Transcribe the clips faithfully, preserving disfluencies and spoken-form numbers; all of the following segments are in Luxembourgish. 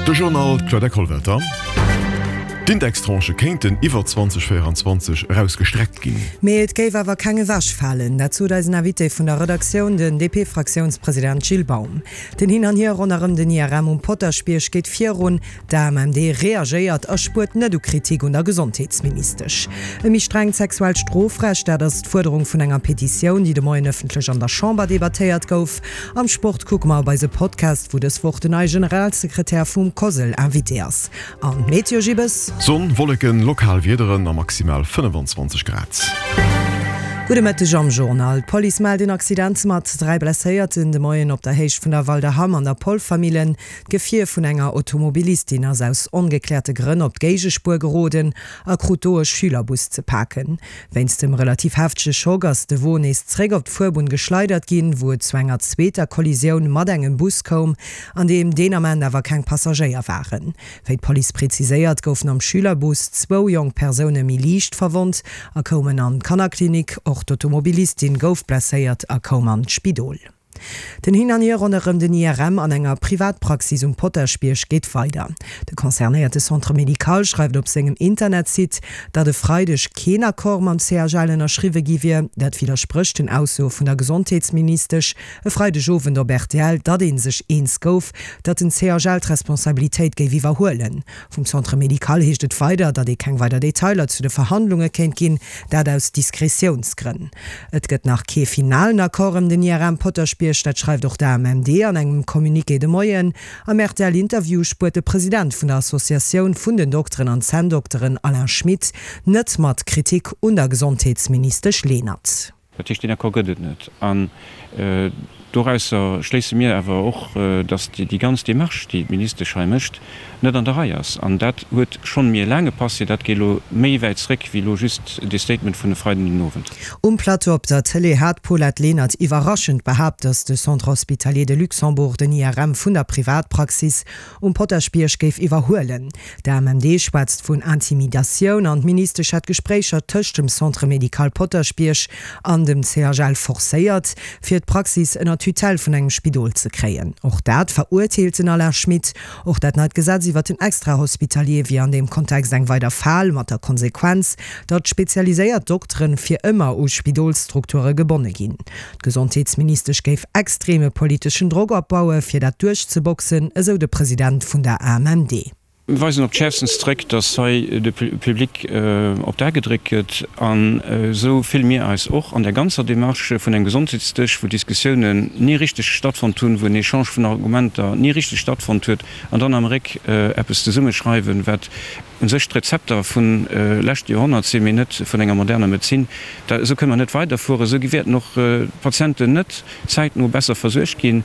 De Journal, d'Claudette Kollwelter. D'Indextranchë kéinten iwwer zweitausendvéierundzwanzeg eraus gestreckt ginn. Mee et géif awer keng ewechfalen. Dat sot eisen Invité vun der Redaktioun, den D P-Fraktiounspresident Gilles Baum. Den Hin an Hier ronderëm den I R M um Potaschbierg geet virun. D A M M D reagéiert a spuert net u Kritik un der Gesondheetsministesch. E méi strengt sexuellt Strofrecht, dat ass d'Fuerderung vun enger Petitioun, déi de Moien ëffentlech an der Chamber debattéiert gouf. Am Sport kucke mer op eise Podcast, wou dës Woch den neie Generalsekretär vum COSL Invité ass. An d'Meteo, Gibbes? Sonn, Wolleken, lokal Wiederen a maximal fënnefenzwanzeg Grad. Gudde Mëtteg am Journal. D'Police mellt een Accident mat dräi Blesséierten de Moien op der Héicht vun der Walder Ham an der Polvermillen. D'Gefier vun enger Automobilistin ass aus ongekläerte Grënn op d'Géigespuer geroden a krut do e Schülerbus ze paken. Wéinst dem relativ heftege Schock ass de Won nees zréck op d'Fuerbunn geschleidert ginn, wou et zu enger zweeter Kollisioun mat engem Bus koum, an deem deen Ament awer keng Passagéier waren. Wéi d'Police präziséiert, goufen am Schülerbus zwou jonk Persoune méi liicht verwonnt a koumen an d'Kannerklinik. Och d'Automobilistin gouf blesséiert a koum an d'Spidol. Den Hin an Hier ronderëm den I R M an enger Privatpraxis um Potaschbierg geet weider. De concernéierte Centre médical schreift op sengem Internetsite, datt e Freideg keen Accord mam C H L ënnerschriwwe gi wier. Dat widdersprécht den Aussoe vun der Gesondheetsministesch e Freidegowend op R T L, datt ee sech eens gouf, datt den C H L d'Responsabilitéit géif iwwerhuelen. Vum Centre médical heescht et weider, datt ee keng weider Detailer zu de Verhandlunge kéint ginn, dat aus Diskretiounsgrënn. Et gëtt nach kee finalen Accord ëm den I R M Potaschbierg, dat schreift och d'A M M D an engem Communiqué de Moien. Am R T L-Interview spuert de President vun der Associatioun vun den Dokteren an Zänndokteren Alain Schmit net mat Kritik un der Gesondheetsministesch Lenert. Dat heescht, deen Accord gëtt et net. An dorausser schléisse mir awer och, datt déi ganz Démarche, déi d'Ministesch hei mécht, net an der Rei ass. An dat huet schonn méi e laange Passé, dat geet elo méi wäit zréck wéi elo just dee Statement vun e Freiden den Owend. Um Plateau op der Tëlee hat d'Paulette Lenert iwwerraschend behaapt, datt de Centre hospitalier de Luxembourg den I R M vun der Privatpraxis um Potaschbierg géif iwwerhuelen. D A M M D schwätzt vun Intimidatioun an d'Ministesch hätt Gespréicher tëscht dem Centre médical Potaschbierg an dem C H L forcéiert, fir d'Praxis ënner d'Tutelle vun engem Spidol ze kréien. Och dat verurteelt den Alain Schmit. Och dat neit Gesetz iwwer den Extrahospitalier wier an deem Kontext eng weider Fal, mat der Konsequenz, datt spezialiséiert Dokteren fir ëmmer u Spidolsstrukture gebonne ginn. D'Gesondheetsministesch géif extreme politeschen Drock opbauen, fir dat duerchzeboxen, esou de President vun der A M M D. Mir weisen op d'schäerfstens zréck, datt hei de Public op d'A gedréckt gëtt. An esou fille mir eis och an der ganzer Démarche vun engem Gesondheetsdësch, wou Diskussiounen ni richteg stattfonnt hunn, wou en Echange vun Argumenter ni richteg stattfonnt huet, an dann am Réck eppes zesummeschreiwen, wat u sech d'Rezepter vun leschte Joerhonnert sinn, mee net vun enger moderner Medezin. Da esou kënne mer net weiderfueren. Esou wäerten och d'Patienten net zäitno besser versuergt ginn.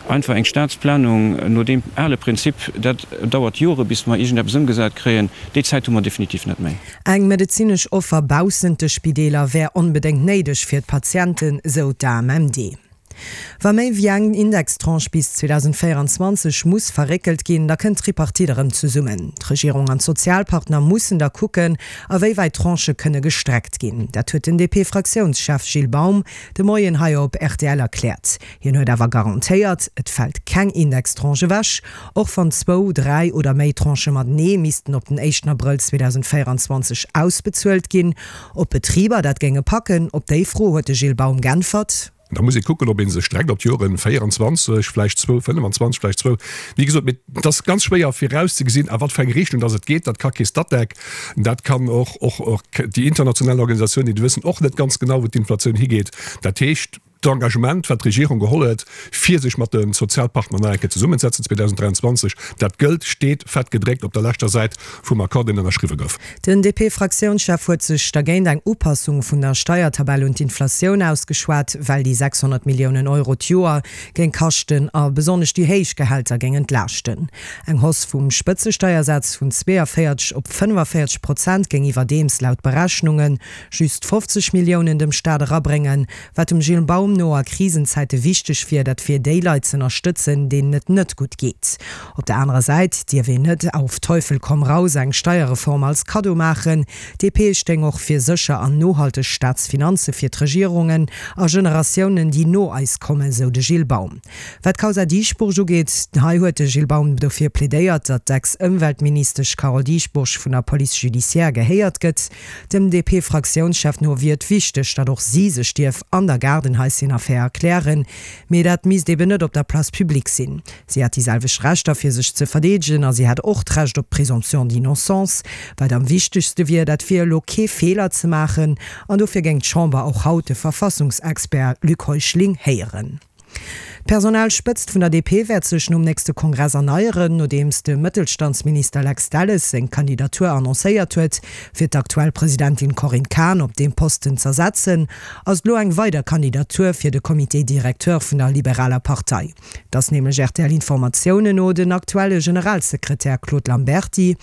Einfach eng Staatsplanung no deem ale Prinzip, dat dauert Jore bis mer iergendeppes ëmgesat kréien, déi Zäit hu mer definitiv net méi. Eng medezinesch Offer baussent de Spideeler wär onbedéngt néideg fir d'Patienten, sou d'A M M D. Wa méi wéi eng Indextranche bis zweedausendvéierundzwanzeg muss verréckelt ginn, da kënnt d'Tripartite erëm zesummen. D'Regierung an d'Sozialpartner mussen da kucken, a wéi wäit d'Tranchë kënne gestreckt ginn. Dat huet den D P-Fraktiounschef Gilles Baum de Moien hei op R T L erkläert. Hien huet awer garantéiert, et fält keng Indextranche ewech, och wann zwou, dräi oder méi Tranchë matenee missten op den éischten Abrëll zweedausendvéierundzwanzeg ausbezuelt ginn. Ob d'Betriber dat géinge packen, op déi Fro huet de Gilles Baum geäntwert. Da muss ee kucken, ob ee se streckt op d'Joren véierundzwanzeg, vläicht zwou, fënnefenzwanzeg, vläicht zwou. Wéi gesot, mee et ass ganz schwéier virauszegesinn, a wat fir eng Richtung dass et geet. Dat ka kee Statec, dat kann och, och, och déi international Organisatioun, déi wëssen och net ganz genau, wou d'Inflatioun higeet. Dat heescht, d'Engagement, wat d'Regierung geholl huet, fir sech mat de Sozialpartner nach eng Kéier zesummenzesetzen zweedausendräianzwanzeg, dat gëllt, steet fett gedréckt op der leschter Säit vum Accord, deen ënnerschriwwe gouf. Den D P-Fraktiounschef huet sech dergéint eng Upassung vun der Steiertabell un d'Inflatioun ausgeschwat, well déi sechshonnert Milliounen Euro d'Joer géing kaschten a besonnesch déi héich Gehälter géing entlaaschten. Eng Hausse vum Spëtzesteiersaz vun zweeënvéierzeg op fënnefenvéierzeg Prozent géing iwwerdeems laut Berechnunge just fofzeg Milliounen dem Staat erabréngen, wat dem Gilles Baum Baum no a Krisenzäite wichteg wier, dat fir déi Leit z'ënnerstëtzen, deenen et net gutt geet. Op der anerer Säit dierf een net auf Teufel komm raus eng Steierreform als Kaddo maachen. D P stéing och fir sécher an nohalteg Staatsfinanze fir d'Regierungen a Generatiounen, déi no eis kommen, sou de Gilles Baum. Wat d'Kausa Dieschbourg ugeet, hei huet de Gilles Baum dofir plädéiert, datt d'Ex-Ëmweltministesch Carole Dieschbourg vun der Police judiciaire gehéiert gëtt. Dem D P-Fraktiounschef no wier et wichteg, datt och si sech dierf an der Gaardenhaischen-Affär erklären, mee dat misst eben net op der Place publique sinn. Si hätt déi selwecht Rechter fir sech ze verdeedegen a si hätt och d'Recht op d'Présomption d'innocence. Wat am wichtegste wier, dat wier elo kee Feeler ze maachen an dofir géing d'Chamber och haut de Verfassungsexpert Luc Heuschling héieren. D'Personalspëtzt vun der D P wäert sech nom nächste Kongress erneieren. Nodeems de Mëttelstandsminister Lex Delles seng Kandidatur annoncéiert huet, fir d'aktuell Presidentin Corinne Cahen op deem Posten z'ersetzen, ass et elo eng weider Kandidatur fir de Comité directeur vun der Liberaler Partei. Et ass nämlech R T L-Informatiounen no den aktuelle Generalsekretär Claude Lamberty,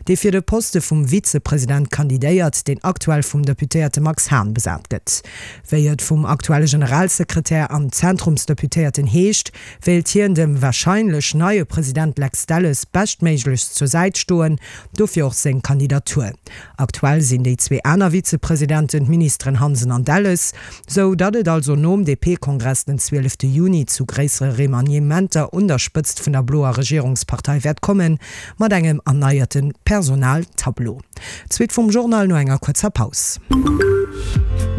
dee fir de Poste vum Vizepresident kandidéiert, deen aktuell vum Deputéierte Max Hahn besat gëtt. Wéi et vum aktuelle Generalsekretär an Zentrumsdeputéierten heescht, wéilt hien dem warscheinlech neie President Lex Delles beschtméiglechst zur Säit stoen, dofir och seng Kandidatur. Aktuell sinn déi zwee aner Vizepresidenten d'Ministeren Hansen an Delles, sou datt et also nom D P-Kongress den zwielefte Juni zu gréissere Remaniementer un der Spëtzt vun der bloer Regierungspartei wäert kommen, mat engem erneierte Personaltableau. D'Suite vum Journal no enger kuerzer Paus.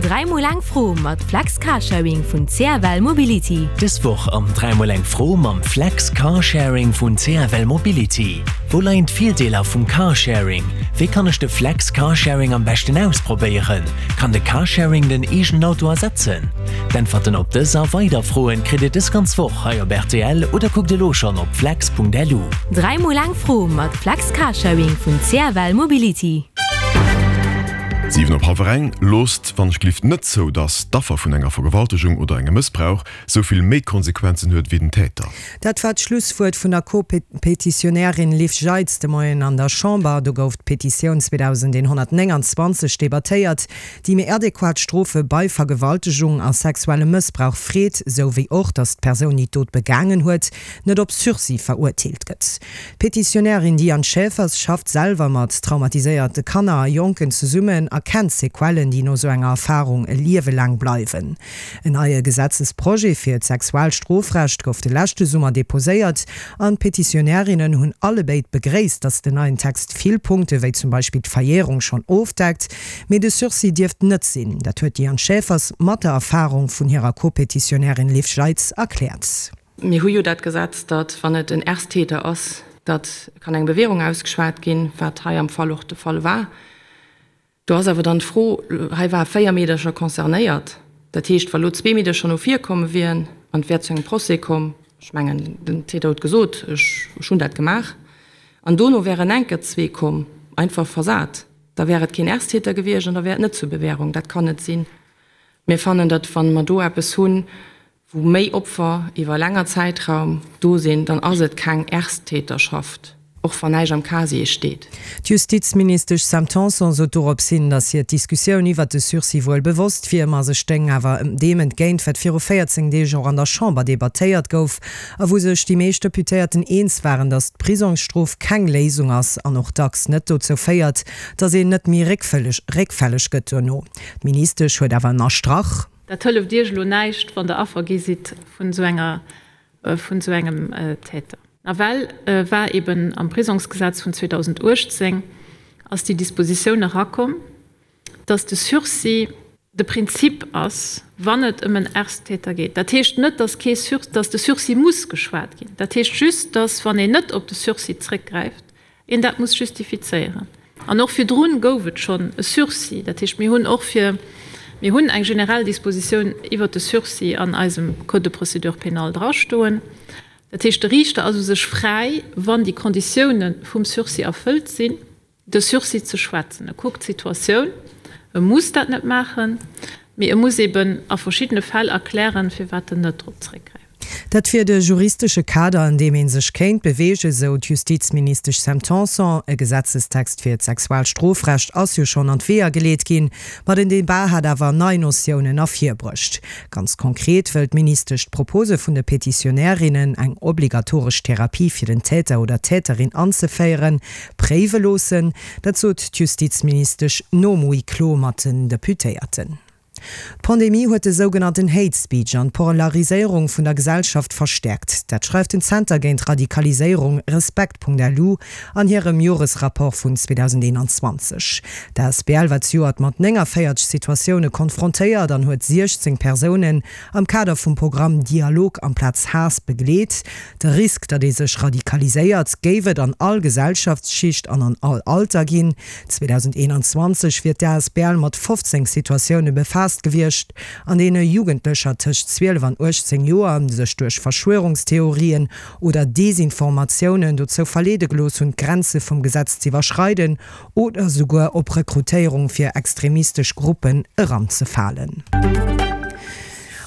Dräi mol eng Fro mat Flex Carsharing vun C F L Mobility. Dës Woch am Dräi mol eng Fro mam Flex Carsharing vun C F L Mobility. Wou leien d'Virdeeler vum Carsharing? Wéi kann ech de Flex Carsharing am beschten ausprobéieren? Kann de Carsharing den eegenen Auto ersetzen? D'Äntwerten op dës a weider Froen kritt dir dës ganz Woch hei op R T L oder kuckt elo schonn op flex Punkt L U. Dräi mol eng Fro mat Flex Carsharing vun C F L Mobility. Siwen op hallwer eng. Loosst wann ech gelift net zou, datt d'Affer vun enger Vergewaltegung oder engem Mëssbrauch sou vill méi Konsequenzen huet wéi den Täter. Dat war d'Schlusswuert vun der Co-Petitionärin Liv Jeitz de Moien an der Chamber. Do gouf d'Petitioun zweedausendeenhonnertnénganzwanzeg debattéiert, déi méi adequat Strofe bei Vergewaltegung a sexuellem Mëssbrauch freet, sou wéi och, datt d'Persoun, déi d'Dot begaangen huet, net op Sursis verurteelt gëtt. D'Petitionärin Diane Schaefers schafft selwer mat traumatiséierte Kanner a Jonken zesummen a kennt d'Sequellen, déi no sou enger Erfarung e Liewe laang bleiwen. En neie Gesetzesprojet fir d'Sexualstrofrecht gouf de leschte Summer deposéiert an d'Petitionärinnen hunn allebéid begréisst, datt den neien Text vill Punkte wéi zum Beispill d'Verjärung schonn ofdeckt, mee de Sursis dierft net sinn. Dat huet d'Diane Schaefers mat der Erfarung vun hirer Co-Petitionärin Liv Jeitz erkläert. Mir hu jo dat Gesetz, datt wann et en Ersttäter ass, datt kann eng Bewährung ausgeschwat ginn, wat hei am Fall och de Fall war. Do ass awer dann d'Fro, hei ware véier Meedercher concernéiert, dat heescht, wa lo zwee Meedercher no vir komm wieren an et wär zu engem Procès komm, ech mengen, den Täter huet gesot, ech hunn dat gemaach, an dono wären enker zwee komm, einfach versat, da wär et keen Ersttäter gewiescht an da wär et net zur Bewährung. Dat kann net sinn. Mir fannen, datt wa mer do eppes hunn, wou méi Opfer iwwer e länger Zäitraum do sinn, dann ass et keng Ersttäterschaft, och wann näischt am Casier steet. D'Justizministesch Sam Tanson sot dorops hin, datt hir d'Diskussioun iwwert de Sursis wuel bewosst wier, ma se stéing awer deem entgéint, wat viru véierzéng Deeg och an der Chamber debattéiert gouf a wou sech déi meescht Deputéierten eens waren, datt d'Prisongsstrof keng Léisung ass an och dacks net dozou féiert, datt een net méi réckfälleg gëtt duerno. D'Ministesch huet awer ënnerstrach. Dat hëlleft Iech elo näischt, wann Der Affer gi sidd vun esou enger, vun esou engem Täter. Nawell war eben am Prisongsgesetz vun zweedausenduechtzéng ass déi Dispositioun erakomm, dass de Sursis de Prinzip ass, wann et ëm en Ersttäter geet. Dat heescht net, dass kee Sur, dass de Sursis muss geschwat ginn. Dat heescht just, dass, wann een net op de Sursis zréckgräift, een dat muss justifizéieren. An och virdrun gouf et schonn e Sursis. Dat heescht, mir hunn och fir, mir hunn eng generell Dispositioun iwwert de Sursis an eisem Code de procédure pénale drastoen. Dat heescht, de Riichter ass u sech fräi, wann déi Konditioune vum Sursis erfëllt sinn, de Sursis ze schwätzen. E kuckt d'Situatioun. E muss dat net maachen, mee e muss eben a verschiddene Fäll erklären, firwat en net drop zréckgräift. Dat wier de juristesche Kader, an deem ee sech kéint beweegen, sou d'Justizministesch Sam Tanson. E Gesetzestext fir d'Sexualstrofrecht ass jo schonn an d'Weeër geleet ginn, ma den Debat hat awer nei Notiounen ervirbruecht. Ganz konkret wëll d'Ministesch d'Propose vun de Petitionärinnen, eng obligatoresch Therapie fir den Täter oder d'Täterin anzeféieren, préiwe loossen. Dat sot d'Justizministesch nom Huis clos mat den Deputéierten. D'Pandemie huet de sougenannten Hate Speech an d'Polariséierung vun der Gesellschaft verstäerkt. Dat schreift den Zenter géint Radikaliséierung Respekt.lu an hirem Joresrapport vun zweedausendeenanzwanzeg. D'Asbl war zejoert mat néngavéierzeg Situatioune konfrontéiert an huet siechzéng Persounen am Kader vum Programm Dialog amplaz Haass begleet. De Risk, datt ee sech radikaliséiert, géif et an all Gesellschaftsschicht an an all Alter ginn. zweedausendeenanzwanzeg wier d'Asbl mat fofzéng Situatioune befaasst gewiescht, an deene Jugendlecher tëscht zwielef an uechtzéng Joer sech duerch Verschwörungstheorien oder Desinformatiounen dozou verleede gelooss hunn, d'Grenze vum Gesetz z'iwwerschreiden oder souguer op Rekrutéierung fir extremistesch Gruppen eranzefalen.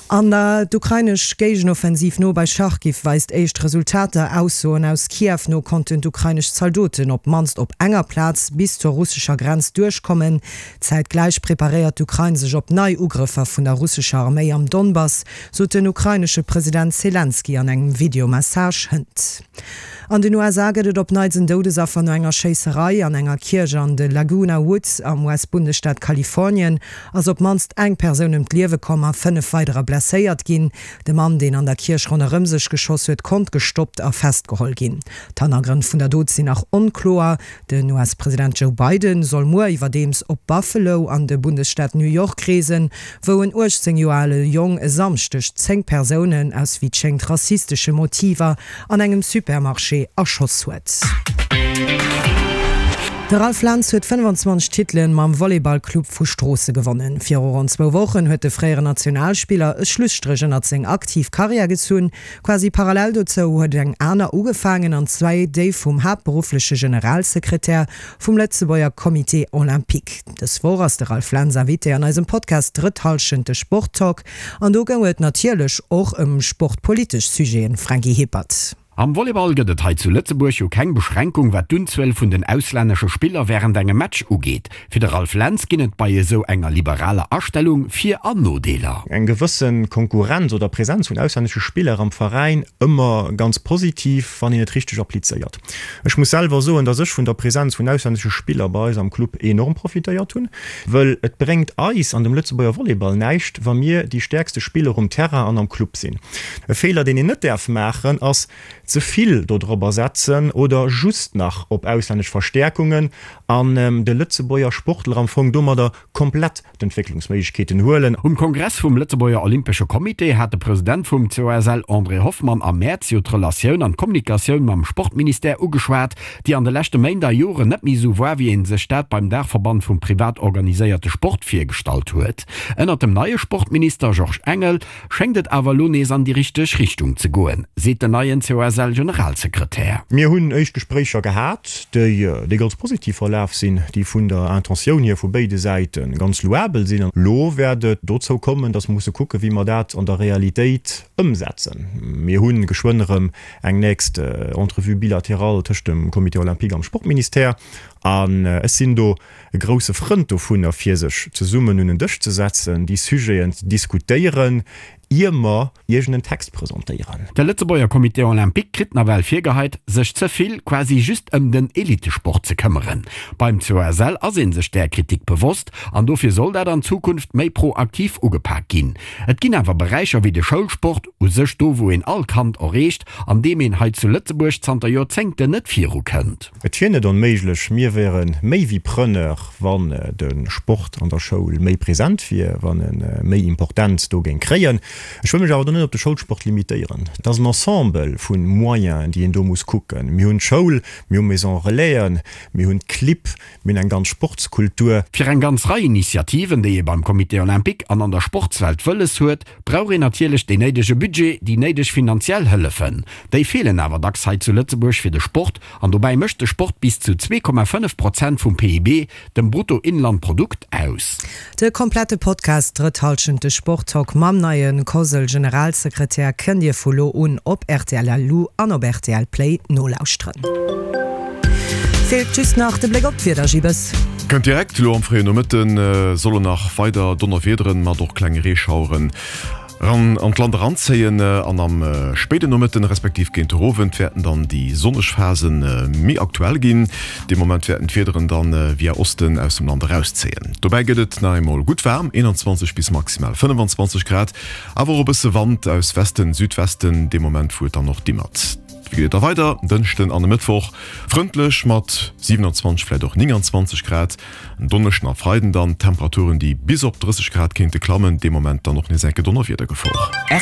An d'ukrainesch Géigenoffensiv no bei Charkiw weist éischt Resultater. Aussoen aus Kiew no konnten d'ukrainesch Zaldoten op d'mannst op enger Plaz bis zur russescher Grenz duerchkommen. Zäitgläich preparéiert d'Ukrain sech op nei Ugrëffer vun der russescher Arméi am Donbass, sot den ukrainesche President Selenskyj an engem Videomessage hënt. An den U S A gëtt et op neits en Doudesaffer no enger Schéisserei an enger Kierch an de Laguna Woods am U S-Bundesstaat Kalifornien ass op d'mannst eng Persoun ëm d'Liewe komm a fënnef weiderer blesséiert ginn. De Mann, deen an der Kierch ronderëm sech geschoss huet, konnt gestoppt a festgeholl ginn. D'Hannergrënn vun der Dot sinn nach onkloer. Den U S-President Joe Biden soll muer iwwerdeems op Buffalo an de Bundesstaat New York reesen, wou en uechtzéng Joer ale Jong e Samschdeg zéng Persounen aus wéi et schéngt rassistesche Motiver an engem Supermarché erschoss huet. De Ralph Lentz huet fënnefanzwanzeg Titelen mam Volleyballclub vu Stroosse gewonnen. Viru ronn zwou Wochen huet de fréieren Nationalspiller e Schlusstréch ënnert seng aktiv Karriär gezunn. Quasi parallel dozou huet eng aner ugefaangen, an zwar déi vum haaptberuffleche Generalsekretär vum Lëtzebuerger Comité Olympique. Dës Woch ass de Ralph Lentz Invité an eisem Podcast Drëtt Hallschent, de Sporttalk. An do goung et natierlech och ëm sportpolitesch Sujeten, Franky Hippert. Am Volleyball gëtt et hei zu Lëtzebuerg jo keng Beschränkung wat d'Unzuel vun den auslännesche Spiller wärend engem Match ugeet. Fir de Ralph Lentz ginn et bei esou enger liberaler Astellung Vir an Nodeeler. Eng gewësse Konkurrenz oder Präsenz vun auslännesche Spiller am Veräin ëmmer ganz positiv, wann een et richteg applizéiert. Ech muss selwer soen, dass ech vun der Präsenz vun auslännesche Spiller bei eis am Club enorm profitéiert hunn, wëll et bréngt eis an dem Lëtzebuerger Volleyball näischt, wa mir déi stäerkste Spiller um Terrain an am Club sinn. E Feeler, deen een net däerf maachen, ass, ze vill dodrobber setzen oder just nach op auslännesch Verstäerkungen an de Lëtzebuerger Sportler am Fong domadder komplett d'Entwécklungsméiglechkeeten huelen. Um Kongress vum Lëtzebuerger Olympesche Comité hat de President vum C O S L André Hoffmann am Mäerz jo d'Relatioun an d'Kommunikatioun mam Sportministère ugeschwat, déi an de leschte Méint a Joren net méi esou war, wéi ee sech dat beim Daachverband vum privat organiséierte Sport virgestallt huet. Ënnert dem neie Sportminister Georges Engel schéngt et awer elo nees an déi richteg Richtung ze goen, seet den neien C O S L-Generalsekretär. Mir hunn éischt Gespréicher gehat, déi ganz positiv verlaf sinn, déi vun der Intentioun hier vu béide Säite ganz louabel sinn. An elo wäert et dozou kommen, datt mer musse kucken, wéi mer dat an der Realitéit ëmsetzen. Mir hu geschwënn erëm eng nächst Entrevue bilatérale tëscht dem Comité olympique am Sportministère. An ech sinn do e grousse Frënd dovunner, fir sech zesummen un en Dësch ze setzen, déi Sujeten ze diskutéieren, ier mer iergend en Text presentéieren. De Lëtzebuerger Comité Olympique kritt nawell virgeheit, sech ze vill, quasi just ëm den Elitesport ze këmmeren. Beim C O S L ass ee sech där Kritik bewosst an dofir soll dat an Zukunft méi proaktiv ugepak ginn. Et ginn awer Beräicher wéi de Schoulsport, u sech do wou een all Kand erreecht, an deem een hei zu Lëtzebuerg zanter Joerzéngten net virukënnt. Et wier net onméiglech, mir wäre méi wéi Preneur, wann de Sport an der Schoul méi present wier, wann e méi Importenz do géing kréien. Ech wëll mech awer do net op de Schoulsport limitéieren. Et ass en Ensemble vu Moyenen, déi een do muss kucken. Mir hunn d'Schoul, mir hu Maisons Relaisen, mir hunn d'Clibb, mir hunn eng ganz Sportskultur. Fir eng ganz Rei Initiativen, déi ee beim Comité olympique an an der Sportswelt wëlles huet, brauch een natierlech deen néidege Budget, déi néideg finanziell Hëllefen. Déi feelen awer dacks hei zu Lëtzebuerg fir de Sport an dobäi mécht de Sport bis zu zwee Komma fënnef Prozent vum P I B, dem Bruttoinlandprodukt, aus. De komplette Podcast Drëtt Hallschent, de Sporttalk mam neie COSL Generalsekretär kënnt Dir vu lo un op rtl Lu an op rtl Play nolauschteren. Feelt just nach de Bléck op d'Wieder, Gibes. Kënnt direkt, Elo am fréien Nomëtten sollen nach weider Donnerwiederen mat och klenge Reeschaueren ran an d'Land eranzéien an am spéiden Nomëtten respektiv géint de Owend wäerten dann déi sonneg Phasen méi aktuell ginn. Dee Moment wäerten d'Wiederen dann via Osten aus dem Land erauszéien. Dobäi gëtt et nach eemol gutt waarm, eenanzwanzeg bis maximal fënnefanzwanzeg Grad, awer och e bësse Wand aus Westen, Südwesten, dee Moment wou et dann och dimmert. Wéi geet et da weider? En Dënschden an e Mëttwoch frëndlech mat siwenanzwanzeg, vläit och nénganzwanzeg Grad. En Donneschden a Freiden dann Temperaturen, déi bis op drësseg Grad kéinte klammen, dee Moment dann och nees enke Donnerwiedergefor.